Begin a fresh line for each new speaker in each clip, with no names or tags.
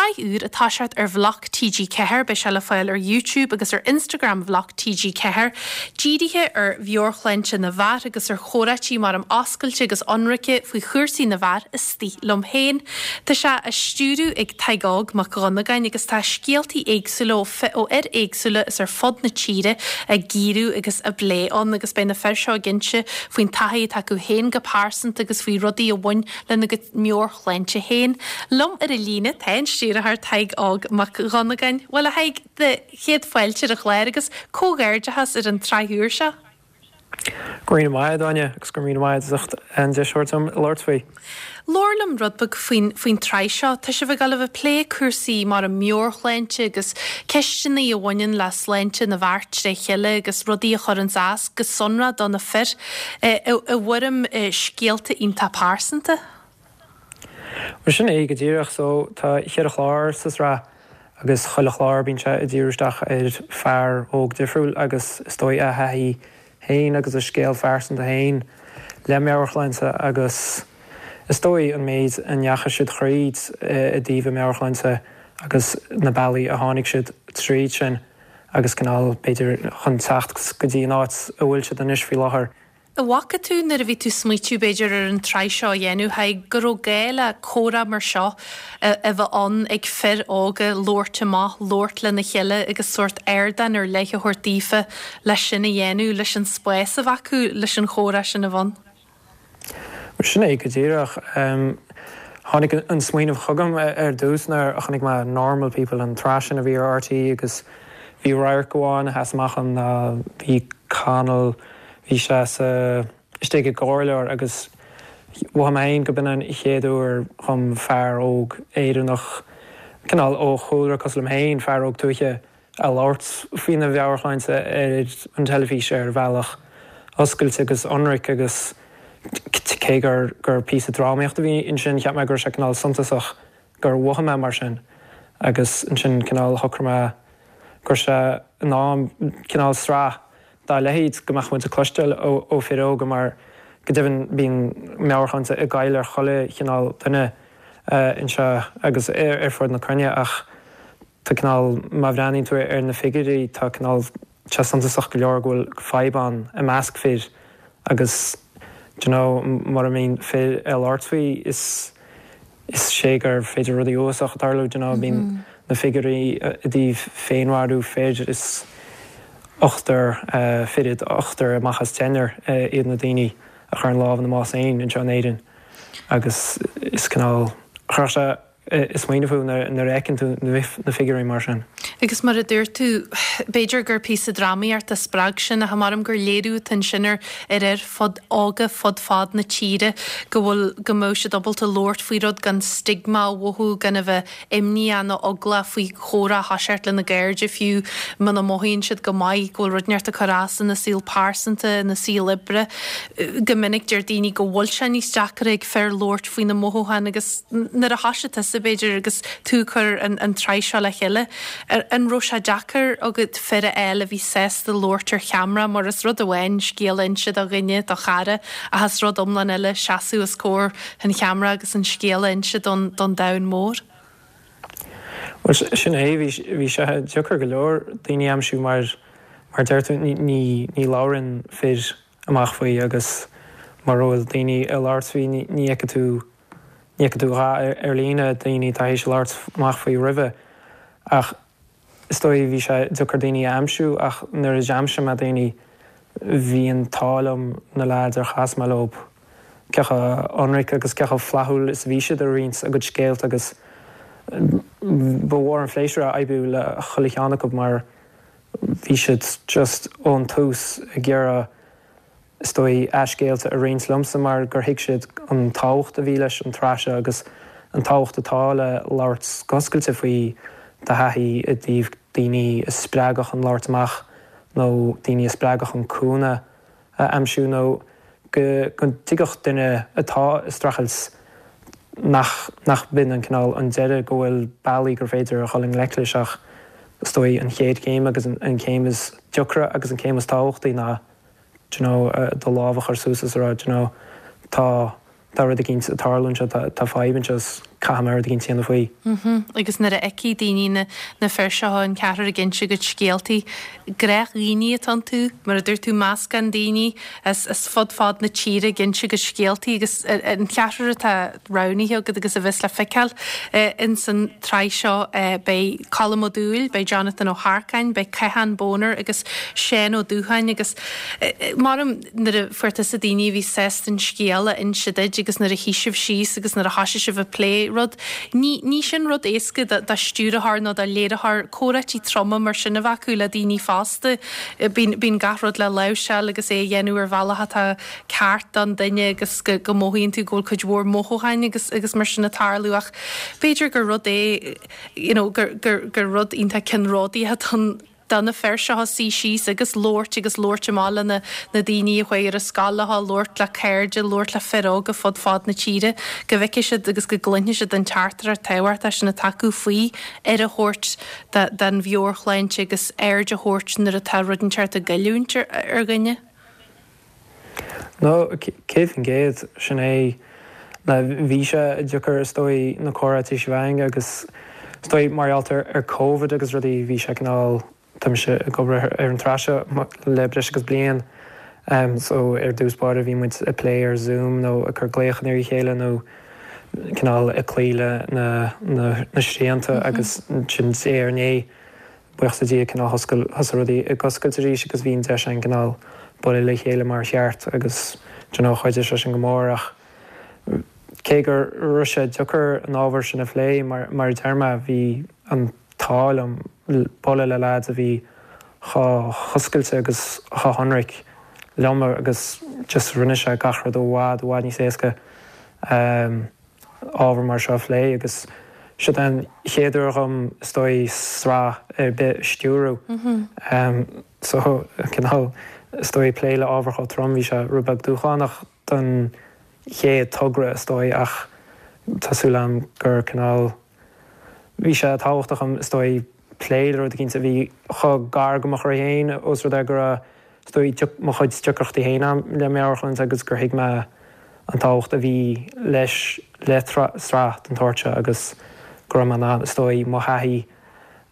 tsraith úr ag toiseacht ar Bhloc TG4, beidh sé le fáil ar YouTube agus ar Instagram Bhloc TG4, dírithe ar mheabhairshláinte na bhfear agus ar chomhráití mar oscailte agus ionraice faoi chúrsaí na bhfear istigh liom féin. Tá sé á stiúradh ag Tadhg Óg Mac Dhonnagáin agus tá scéaltaí éagsúla ó fhir éagsúla is ar fud na tíre á gcíoradh agus á bplé ann agus beidh na fir seo ag inse faoin taithí atá acu féin go pearsanta agus faoi rudaí a bhain lena gcuid meabhairshláinte féin. Liom ar an líne tá an stiúrthóir Tadhg Óg Mac Dhonnagáin. Bhuel a Thaidhg, do chéad fáilte ar an chlár agus comhghairdeachas ar an tsraith úr seo.
Go raibh míle maith agat, Áine, agus go raibh míle maith agat as ucht an deis a thabhairt dom labhairt faoi.
Labhair liom rud beag faoin, faoin tsraith seo. Tá sibh ag dul a bheith ag plé cúrsaí mar an meabhairshláinte agus ceisteanna a bhaineann le sláinte na bhfear tré chéile agus rudaí a chuireanns as, go sonrath do na fir, i, i bhfoirm scéalta iontach pearsanta.
Bhuel sin é go díreach. So tá cheithre chlár sa sraith agus chuile chlár bíonn sé ag díriú isteach ar fear óg difriúil agus is dóigh a thaithí féin agus a scéal phearsanta féin le meabhairshláinte agus is dóigh an méid a ndeachaigh siad thríd i dtaobh a meabhairshláinte agus na bealaí a tháinig siad tríd sin agus cineál b'fhéidir chun teacht go dtí an áit a bhfuil siad anois faoi láthair.
An bhfaca tú nuair a bhí tú smaoitiú b'fhéidir ar an tsraith seo a dhéanamh, Thaidhg, go raibh gá le comhrá mar seo a bheith ann ag fir óga, labhairt amach, labhairt lena chéile agus sórt ardán ar leith a thabhairt daofa leis sin a dhéanamh, leis an spás a bheith acu leis an chomhrá sin a bheith ann?
Bhuel sin é go díreach. Tháinig an smaoineamh chugam ar dtús nuair a chonaic mé Normal People, an tsraith sin a bhí ar RTÉ agus bhí radharc amháin a sheas amach ann ná bhí Conall, Bhí sé sa istigh i gcomhairleoir agus mhothaigh mé féin go b'in an chéad uair dhom fear óg Éireannach, cineál ó chúlra cosúil liom féin, fear óg tuaithe, a labhairt faoina mheabhairshláinte ar an teilifís ar bhealach oscailte agus ionraic agus cé gur gur píosa drámaíochta a bhí ansin cheap mé go raibh sé cineál suntasach gur mhothaigh mé mar sin agus ansin cineál shocraigh mé go raibh sé in am cineál sraith dá leithéid go mbeadh muid ag cloisteáil ó fir óga mar go deimhin bíonn meabhairshláinte ag goil ar chuile chineál duine anseo agus ar fud na cruinne ach tá cineál, má bhreathnaíonn tú ar na figiúirí tá cineál sé suntasach go leor go bhfuil fadhb ann i measc fir agus do you know mura mbíonn fir ag labhairt faoi is is é gur féidir rudaí uafásacha tarlú do you know bíonn na figiúirí i dtaobh féinmharú fir is ochtar fireann ochtar amach as deichniúr iad na daoine a chuireann lámh ina mbás féin anseo in Éirinn agus is cineál chuirfeadh sé ag smaoineamh thú nuair a fheiceann tú na figiúirí mar sin.
Agus mar a dúirt tú, b'fhéidir gur píosa drámaíochta a spreag sin ach measaim gur léiriú atá ansin ar ar fhir fud óga fud fad na tíre go bhfuil, go mbeadh siad ábalta labhairt faoi rud gan stigma a mhothú, gan a bheith imníoch nó eaglach faoi chomhrá a thoiseacht lena gcairde fiú muna mothaíonn siad go maith, go bhfuil rud inteacht ag cur as ina saol pearsanta, ina saol oibre. Go minic deir daoine go bhfuil sé níos deacra ag fir labhairt faoi na mothúcháin agus nuair a thoisigh tusa b'fhéidir agus tú ag cur an tsraith seo le chéile, an raibh sé deacair agat fir a fháil a bhí sásta labhairt ar cheamara mar is rud amháin scéal a inse do dhuine, do chara, ach is rud iomlán eile seasamh os comhair an cheamara agus an scéal a inse don domhan mór.
Bhuel, sin é, bhí sé deacair go leor daoine a aimsiú mar, mar deir tú, ní labhrann fir amach faoi agus mura bhfuil daoine ag labhairt faoi ní fheicfidh tú, ní fheicfidh tú a dhath ar líne, daoine atá théis labhairt amach faoi roimhe. Ach is dóigh bhí sé deacair daoine a aimsiú ach nuair a d'aimsigh mé daoine bhí an t-ádh liom na leaids ar chas mé leo cé chomh ionraic agus cé chomh flaithiúil is a bhí siad ag roinnt a gcuid scéalta agus ba mhór an phléisiúr é oibriú le chuile cheann acu mar bhí siad just ón tús ag iarraidh is dóigh a scéalta a roinnt liomsa mar gur thuig siad an tábhacht a bhí leis an tsraith seo agus an tábhacht atá le labhairt go hoscailte faoi do thaithí i dtaobh daoine a spreagadh chun labhairt amach nó daoine a spreagadh chun cúnamh a aimsiú nó go dtuigfeadh duine atá ag streachailt nach nach b'in an cineál an deireadh, go bhfuil bealaí gur féidir a dhul i ngleic leis ach is dóigh an chéad chéim agus an chéim is deacra agus an chéim is tábhachtaí ná do you know do lámh a chur suas is a rá do you know tá tá rud eicínt ag tarlú anseo, tá tá fadhb anseo is. caithfidh mé rud éigin a dhéanamh faoi.
Agus nuair a fheicfidh daoine na fir seo, an ceathrar ag inse a gcuid scéaltaí, gnáthdhaoine atá iontu, mar a dúirt tú, meascán daoine as fud fad na tíre ag inse a gcuid scéaltaí agus an ceathrar atá roghnaithe agat agus a bheas le feiceáil ins an tsraith seo, beidh Colm Ó Dúill, beidh Jonathan Ó hEarcáin, beidh Cathán Boner agus Seán Ó Dúcháin agus maram nuair a fuair tusa daoine a bhí sásta an scéal a inse duit agus nuair a shuigh sibh síos agus nuair a thoisigh sibh ag plé rud, ní, ní sin rud éasca do, do stiúrthóir nó do léiritheoir comhráití troma mar sin a bheith acu le daoine fásta. Bíonn, bíonn gach rud le láimhseáil agus é a dhéanamh ar bhealach atá ceart don duine agus go, go mothaíonn tú go bhfuil cuid mhór mothúcháin agus, agus mar sin ag tarlú ach b'fhéidir gur rud é, you know, gur, gur, gur rud iontach ceannródaíoch atá ann. do na fir seo suí síos agus labhairt agus labhairt amach le na na daoine a chuaigh ar an scoil leo, labhairt le cairde, labhairt le fir óga fud fad na tíre, go bhfeicfidh siad agus go gcluinfidh siad an teachtaireacht tábhachtach sin atá acu faoi aire a thabhairt don mheabhairshláinte agus aird a thabhairt nuair atá rud inteacht ag goilliúint ar dhuine.
No, 100%, sin é. Bhí sé deacair is dóigh na comhráití seo a bheith againn agus is dóigh mar gheall ar Covid agus rudaí bhí sé cineál, tá mise ag obair ar an tsraith seo le breis agus bliain so ar dtús báire bhí muid ag plé ar Zoom nó ag cur glaochanna ar a chéile nó cineál ag cloí le na na srianta agus ansin diaidh ar ndiaidh Buíochas le Dia, cineál thoscail, thosaigh rudaí ag oscailt arís agus bhí an deis againn cineál bualadh le chéile mar cheart agus do you know chuidigh sé sin go mór ach cé go raibh sé deacair an ábhar sin a phlé mar mar a deir mé bhí an t-ádh liom bualadh le leaids a bhí chomh hoscailte agus chomh hionraic liom agus just rinne sé gach rud i bhfad i bhfad níos éasca. ábhar mar seo a phlé agus siod é an chéad uair dhom is dóigh sraith ar bith a stiúradh so cineál is dóigh plé le ábhar chomh trom bhí sé rud beag dúshlánach don chéad togra is dóigh ach tá súil agam gur cineál bhí sé tábhachtach dhom is dóigh plé le rud eicínt a bhí chomh gar go mo chroí féin ós rud é go raibh is dóigh, mo chuid deacrachtaí féin agam le meabhairshláinte agus gur thuig mé an tábhacht a bhí leis, le sraith den tsórt seo agus go raibh mé in ann, is dóigh, mo thaithí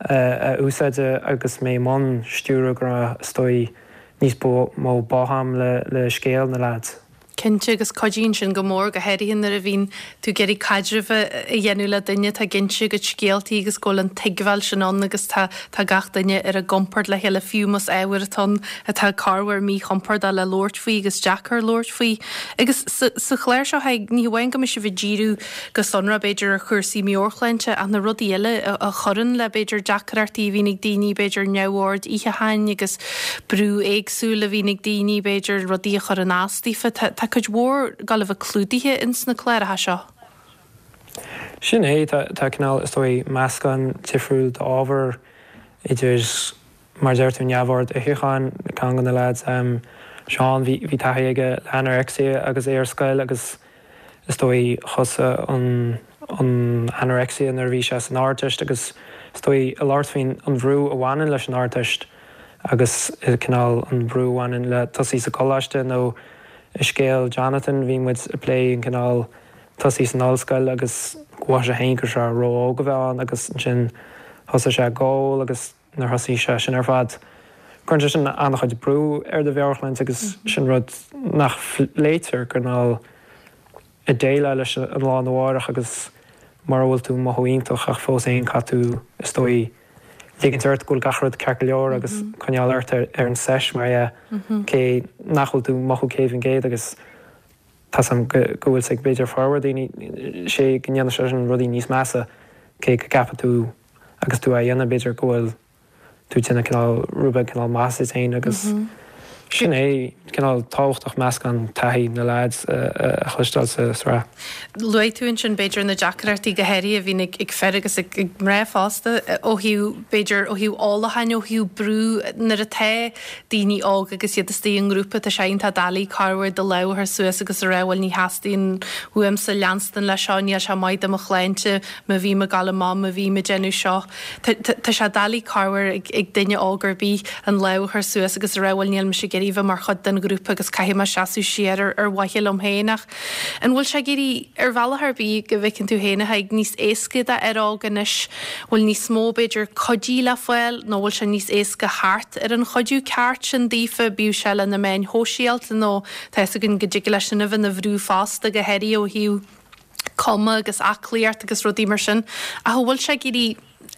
a úsáid agus mé i mbun stiúradh, go raibh, is dóigh, níos mó bá agam le scéal na leaids.
Cinnte, agus cuidíonn sin go mór, go háirithe nuair a bhíonn tú ag iarraidh caidreamh a dhéanamh le duine atá ag inse a gcuid scéaltaí agus go bhfuil an tuigbheáil sin ann agus tá tá gach duine ar a gcompord le chéile, fiú más ábhar atá ann atá corruair míchompordach le labhairt faoi agus deacair labhairt faoi. Agus sa sa chlár seo, ní hamháin go mbeidh sibh ag díriú go sonrach b'fhéidir ar chúrsaí meabhairshláinte ach na rudaí eile a chuireann le b'fhéidir deacrachtaí a bhíonn ag daoine, b'fhéidir neamhord itheacháin agus brú éagsúil a bhíonn ag daoine, b'fhéidir, rudaí a chuireann as daofa. Tá, tá cuid mhór ag gabháil a bheith clúdaithe ins na cláracha seo.
Sin é, tá, tá cineál, is dóigh, meascán difriúil d'ábhar idir, mar a deir tú, neamhord itheacháin, ceann de na leaids, Seán, bhí, bhí taithí aige le anorexia agus é ar scoil agus is dóigh thosaigh an, an anorexia nuair a bhí sé san Ardteist agus is dóigh ag labhairt faoin an bhrú a bhaineann leis an Ardteist agus cineál an brú a bhaineann le tosaí sa gcoláiste nó i scéal Jonathan bhí muid ag plé an cineál tosaí san ollscoil agus go mhothaigh sé féin go raibh sé ró-óg a bheith ann agus ansin thosaigh sé ag ól agus nuair a thosaigh sé sin ar fad cuireann sé sin an-chuid brú ar do mheabhairshláinte agus sin rud nach bpléitear cineál ag déileáil leis an lá arna mhárach agus mura bhfuil tú ag mothú iontach ach fós féin caithfidh tú is dóigh ligint ort go bhfuil gach rud ceart go leor agus coinneáil ort ar an seis mar dhea cé nach bhfuil tú ag mothú 100% agus tá's a'm go bhfuil sé ag b'fhéidir formhór daoine sé go ndéanann sé sin rudaí níos measa cé go gceapann tú agus tú á dhéanamh b'fhéidir go bhfuil tú ag déanamh cineál rud beag cineál maitheasa duit féin agus sin é cineál tábhachtach meascán taithí na leaids a chloisteáil sa sraith.
Luaigh tú ansin b'fhéidir na deacrachtaí go háirithe a bhíonn ag fir agus ag mná fosta ó thaobh b'fhéidir ó thaobh ólacháin ó thaobh brú nuair atá daoine óga agus iad istigh i ngrúpa tá sé iontach doiligh corruair do lámh a chur suas agus a rá bhuel ní theastaíonn uaimse leanstan leis seo níl sé maith do mo shláinte má bhím ag gabháil amach má bhím ag déanamh seo. Tá sé doiligh corruair ag duine óg ar bith an lámh a chur suas agus a rá bhuel níl mise ag iarraidh. iarraidh bheith mar chuid den ghrúpa agus caithfidh mé seasamh siar ar ar mhaithe liom féin ach an bhfuil sé ag éirí ar bhealach ar bith go bhfeiceann tú féin a Thaidhg níos éasca d'fhear óg anois, bhfuil níos mó b'fhéidir cuidí le fáil nó bhfuil sé níos éasca theacht ar an chuidiú ceart sin daofa, bíodh sé le na meáin shóisialta nó tá fhios againn go dtig leis sin a bheith ina bhrú fosta go háirithe ó thaobh cuma agus aclaíocht agus rudaí mar sin. Ach an bhfuil sé ag éirí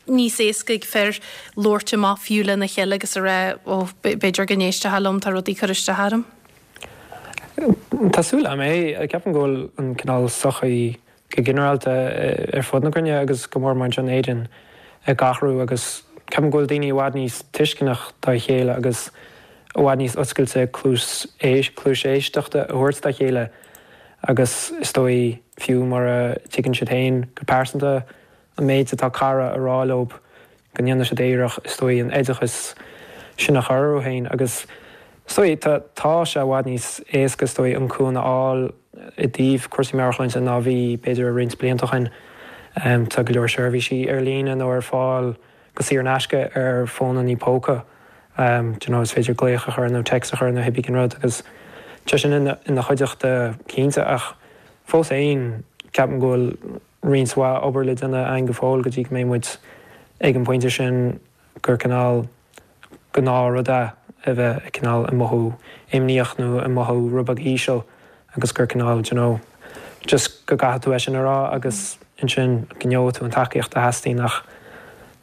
níos éasca ag fir labhairt amach fiú lena chéile agus a rá ó b'fhéidir go n-éistfeá liom, tá rudaí ag cur isteach orm?
Tá súil agam é. Ceapaim go bhfuil an cineál sochaí go ginearálta ar fud na cruinne agus go mór mór anseo in Éirinn ag athrú agus ceapaim go bhfuil daoine i bhfad níos tuisceanach dá chéile agus i bhfad níos oscailte cluas cluais éisteachta a thabhairt dá chéile agus is dóigh fiú mura dtuigeann siad féin go pearsanta an méid atá cara a rá leo go ndéanann siad iarracht is dóigh an oideachas sin a chur orthu féin agus is dóigh tá tá sé i bhfad níos éasca is dóigh an cúnamh a fháil i dtaobh cúrsaí meabhairshláinte ná bhí b'fhéidir roinnt blianta ó shin. Tá go leor seirbhísí ar líne nó ar fáil go saor in aisce ar fónannaí póca. Do you know is féidir glaoch a chur nó text a chur nó cibé cén rud agus tá sin ina ina chuideachta cinnte ach fós féin ceapaim go bhfuil roinnt mhaith obair le déanamh againn go fóill go dtí go mbeidh muid ag an bpointe sin gur cineál gnáthrud é a bheith cineál ag mothú imníoch nó ag mothú rud beag íseal agus gur cineál do you know just go gcaithfidh tú é sin a rá agus ansin go ngeobhaidh tú an tacaíocht a theastaíonn ach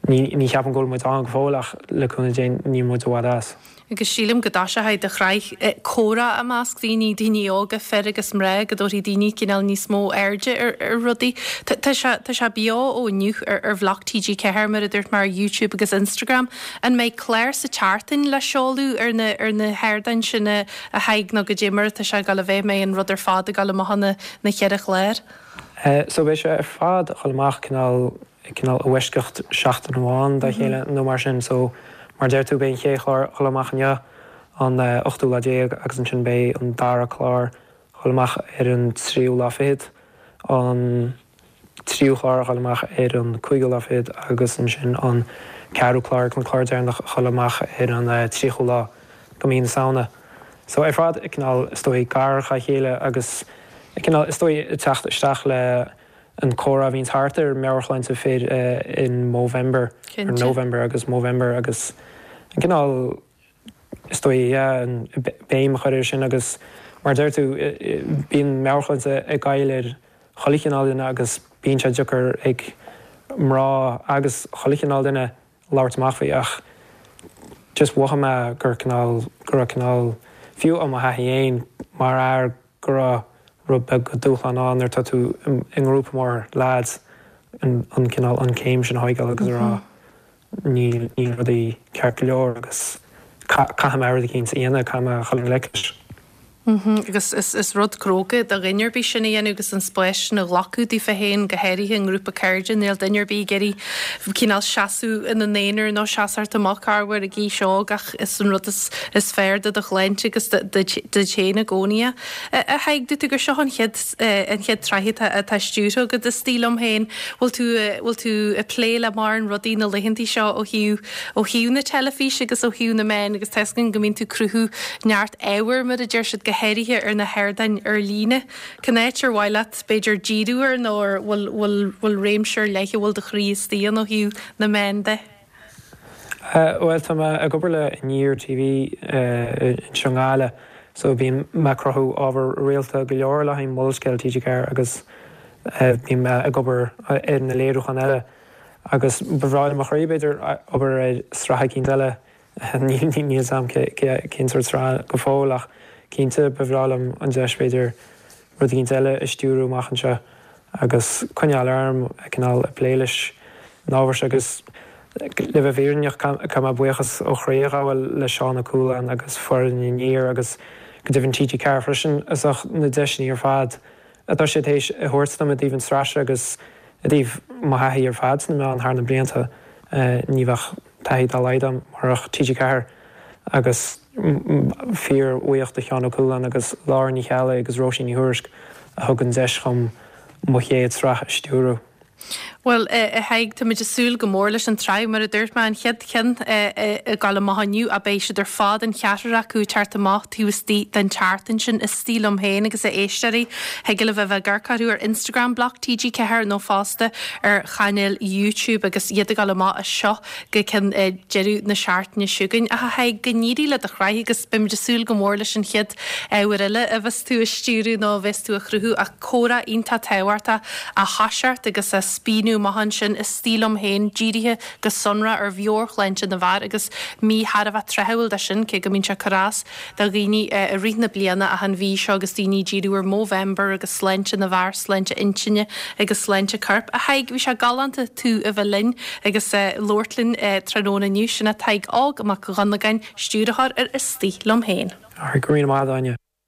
ní ní cheapaim go bhfuil muid ann go fóill ach le cúnamh Dé níl muid i bhfad as.
Agus sílim go dtoiseoidh do shraith comhrá i measc daoine, daoine óga, fir agus mná, go dtabharfaidh daoine cineál níos mó airde ar ar rudaí. Tá sé tá sé beo ó inniu ar ar bhloc TG4 mar a dúirt mé ar YouTube agus Instagram. An mbeidh clár sa tseachtain le seoladh ar na ar na hardáin sin a Thaidhg nó goidé mar atá sé ag dul a bheith, an mbeidh an rud ar fad ag dul amach na na cheithre chlár?
So beidh sé ar fad ag dul amach cineál cineál i bhfoisceacht seachtain amháin dá chéile nó mar sin. So mar a deir tú beidh an chéad chlár ag dul amach inniu an ochtú lá déag agus ansin beidh an dara clár ag dul amach ar an tríú lá fichead, an tríú clár ag dul amach ar an cúigiú lá fichead agus ansin an ceathrú clár agus an clár deireanach ag dul amach ar an tríochú lá de mhí na Samhna. So ar fad cineál is dóigh gar dá chéile agus cineál is dóigh ag teacht isteach le an comhrá a bhíonns thart ar meabhairshláinte fir in Movember, or November agus Movember agus an cineál is dóigh yeah an béim a chur air sin agus mar a deir tú bíonn meabhairshláinte ag goil ar chuile chineál duine agus bíonn sé deacair ag mná agus chuile chineál duine labhairt amach faoi ach just mhothaigh mé gur cineál go raibh cineál fiú ó mo thaithí fhéin mar fhear go raibh rud beag de dúshlán ann nuair atá tú i ngrúpa mór leaids an cineál an céim sin a thóigeáil agus a rá níl níl rudaí ceart go leor agus caithfidh mé rud eicínt a dhéanamh, caithfidh mé a dhul i ngleic leis.
Agus is rud cróga do dhuine ar bith sin a dhéanamh agus an spás sin a ghlacadh daofa féin, go háirithe i ngrúpa cairde. Níl duine ar bith ag iarraidh cineál seasamh ina n-aonar nó seasamh amach corruair ag aois óg ach is an rud is fearr do do shláinte agus duit féin i gcónaí é. A Thaidhg, dúirt tú gur seo an chéad an chéad tsraith atá atá stiúrtha agat is dóigh liom féin. Bhfuil tú bhfuil tú ag plé le mórán rudaí na laethanta seo ó thaobh ó thaobh na teilifíse agus ó thaobh na meán agus tá 'fhios againn go mbíonn tú ag cruthú neart ábhair, mar a deir siad, go háirithe ar na hardáin ar líne. Cén áit ar mhaith leat, b'fhéidir, díriú air nó ar bhfuil, bhfuil, bhfuil réimse ar leith a bhfuil do chroí istigh ann ó thaobh na meán de?
Bhuel, tá mé ag obair le Aniar TV anseo i nGaillimh so bíonn mé ag cruthú ábhar rialta go leor le haghaidh Molscéal TG4 agus bíonn mé ag obair ar na léiriúcháin eile agus ba bhreá le mo chroí, b'fhéidir, obair ar sraith eicínt eile Níl 'fhios a'm cén sórt sraith go fóill ach cinnte ba bhreá liom an deis b'fhéidir rud eicínt eile a stiúrú amach anseo agus coinneáil orm cineál ag plé leis an ábhar seo agus le bheith fírinneach caithfidh mé buíochas ó chroí a ghabháil le Seán Ó Cualáin agus foireann Aniar agus go deimhin TG4 freisin as ucht na deiseanna ar fad atá siad théis a thabhairt dom i dtaobh an tsraith seo agus i dtaobh mo thaithí ar fad sna meáin thar na blianta. Ní bheadh taithí dá laghad agam murach TG4 agus fíor-bhuíoch do Sheán Ó Cualáin agus Lára Ní Cheallaigh agus Róisín Ní Thuairisg a thug an deis dhom mo chéad sraith a stiúradh.
Bhuel, a Thaidhg, táimid ag súil go mór leis an tsraith. Mar a dúirt mé, an chéad cheann ag gabháil amach inniu, ach beidh siad ar fad, an ceathrar acu, ag teacht amach taobh istigh den tseachtain sin. Istigh Liom Féin agus a éisteoirí, thig libh a bheith ag amharc orthu ar Instagram Bloc TG4 nó fosta ar chainéal YouTube agus iad ag gabháil amach as seo go ceann deireadh na seachtaine seo chugainn. Ach a Thaidhg, go n-éirí le do shraith agus beimid ag súil go mór leis an chéad uair eile a bheas tú ag stiúradh nó a bheas tú ag cruthú ach comhrá iontach tábhachtach á thoiseacht agus á spíonadh amach ansin Istigh Liom Féin dírithe go sonrath ar mheabhairshláinte na bhfear agus mí thar a bheith tráthúil dó sin cé go mbíonn sé ag cur as do dhaoine i rith na bliana ach an mhí seo agus daoine ag díriú ar Movember agus sláinte na bhfear, sláinte intinne agus sláinte coirp. A Thaidhg, bhí sé galánta tú a bheith linn agus labhairt linn tráthnóna inniu. Sin é Tadhg Óg Mac Dhonnagáin, stiúrthóir ar Istigh Liom Féin.
Go raibh míle maith agat, Áine.